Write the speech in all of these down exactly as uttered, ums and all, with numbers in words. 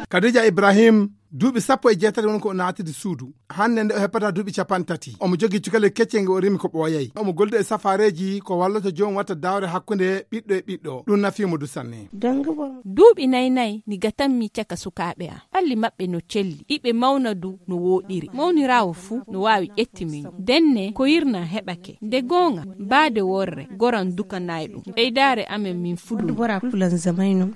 Kadija Ibrahim, duuɓi sappo e jeetati woni ko o naatidi suudu. Hannde nde o heppata duuɓi capanɗe tati. Omo jogii cukalel keccel ngel o rimi ko ɓooyay. Omo gollude e safaareeji ko wallata joom watta daawre hakkunde ɓiɗɗo e ɓiɗɗo. Ɗum nafiimo du sanne. Duuɓi nay nay ni gatanmi caka sukaaɓe am. Ɓalli maɓɓe no celli. Iɓe mawna du no wooɗiri. Mawniraawo fuu no waawi ƴetti min. Denne ko yirna heɓake. Nde goonga, baade worre, goran dukanay ɗum. Ɓeydaare amen min fuɗu.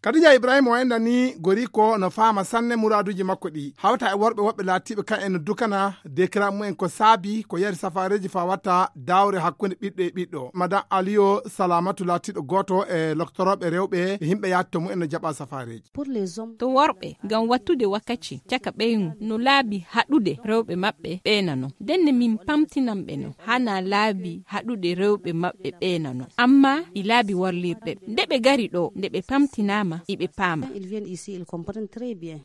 Kadija Ibrahim o enɗan ni gori ko no faama sanne muraaduuji makko ɗi. Hawta e worɓe woɓɓe laatiiɓe kan en no dukana dekiraaɓe mumen ko saabi ko yari safaareeji faa watta daawre hakkunde ɓiɗɗo e ɓiɗɗo. Madan Aliyo Salamatu laatiiɗo gooto e loktorooɓe rewɓe e yimɓe yaatto mumen no jaɓa safaareeji. To worɓe, ngam wattude wakkaci caka ɓeyngu no laabi haɗude rewɓe maɓɓe ɓe nano. Ndenne min pamtinan ɓe no hana laabi haɗude rewɓe maɓɓe ɓe nano. Amma ɗi laabi warlirɗe ɓe. Nde ɓe gari ɗo, nde ɓe pamtinaama, iɓe paama.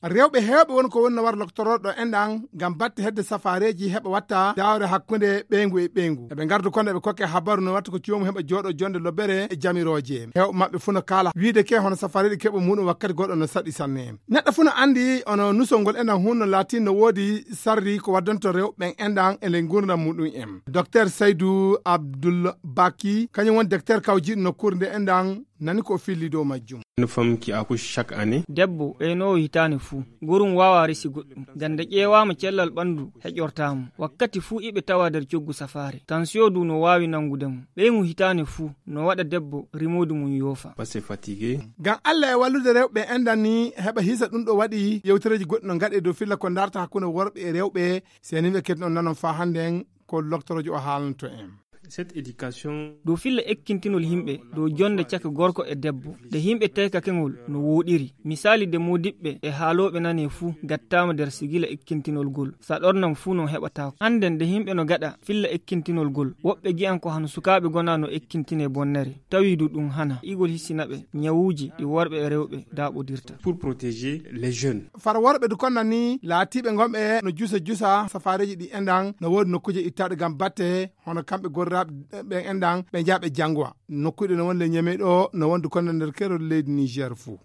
Rewɓe heewɓe woni ko woni no war loktorooɗo enɗan ngam batte hedde safaareeji heɓa watta daawre hakkunde ɓeyngu e ɓeyngu. Eɓe ngardu kono eɓe kokke habaru no watta ko coomu heɓa jooɗo jonde lobbere e jamirooje. Heewɓe maɓɓe fuu no kaala wiide ke hono safaareeji keɓo muɗum wakkati goɗɗo no saɗi sanne. Neɗɗo fuu no anndi ono nusol ngol enɗan hunno laatii no woodi sarri ko waddanto rewɓe ɓen enɗan e nder ngurndan muɗum en. Docteur Saydou Abdoul Baki, kañum woni docteur kawjiiɗo nokkuure nde enɗan nani ko o filli dow majjum. Une femme qui accouche chaque année. Debbo ɓeynoowo hitaande fuu, gorum waawaa resi goɗɗum. Ngam nde ƴeewaama cellal ɓanndu heƴortaa mo. Wakkati fuu iɓe tawa nder coggu safaare. Tansiyo du no waawi nanngude mo. Ɓeyngu hitaande fuu no waɗa debbo rimoodu mum yoofa. Parce que fatigué. Ngam Alla e wallude rewɓe enɗan ni heɓa hisa ɗum ɗo waɗi yewtereeji goɗɗi no ngaɗe dow filla ko ndarta hakkunde worɓe e rewɓe. Seniiɓe kadi on nanon faa hannden ko loktoroojo o haalanto en. Cette éducation. Dow filla ekkintinol yimɓe dow jonde caka gorko e debbo. Nde yimɓe teykake ngol no wooɗiri. Misaali de moodiɓɓe e haalooɓe nane fuu gattaama nder sigila ekkintinol gol. Saɗornam fuu no heɓataako. Hannden nde yimɓe no gaɗa filla ekkintinol gol. Woɓɓe gi'an ko hano sukaaɓe gona no ekkintinee bonnere. Tawi du ɗum hana. Igol hisina ɓe ñawuuji ɗi worɓe e rewɓe daaɓodirta. Pour protéger les jeunes. Far worɓe du konna ni laatiiɓe ngonɓe no jusa jusa safaareeji ɗi enɗan no woodi nokkuuje ittaaɗe ngam batte hono kamɓe gorraaɓe ɓen enɗan ɓe njaha ɓe janngowa. Nokkuuɗe no woni le Ñeme ɗo no wondi konna nder keerol leydi Niger fuu.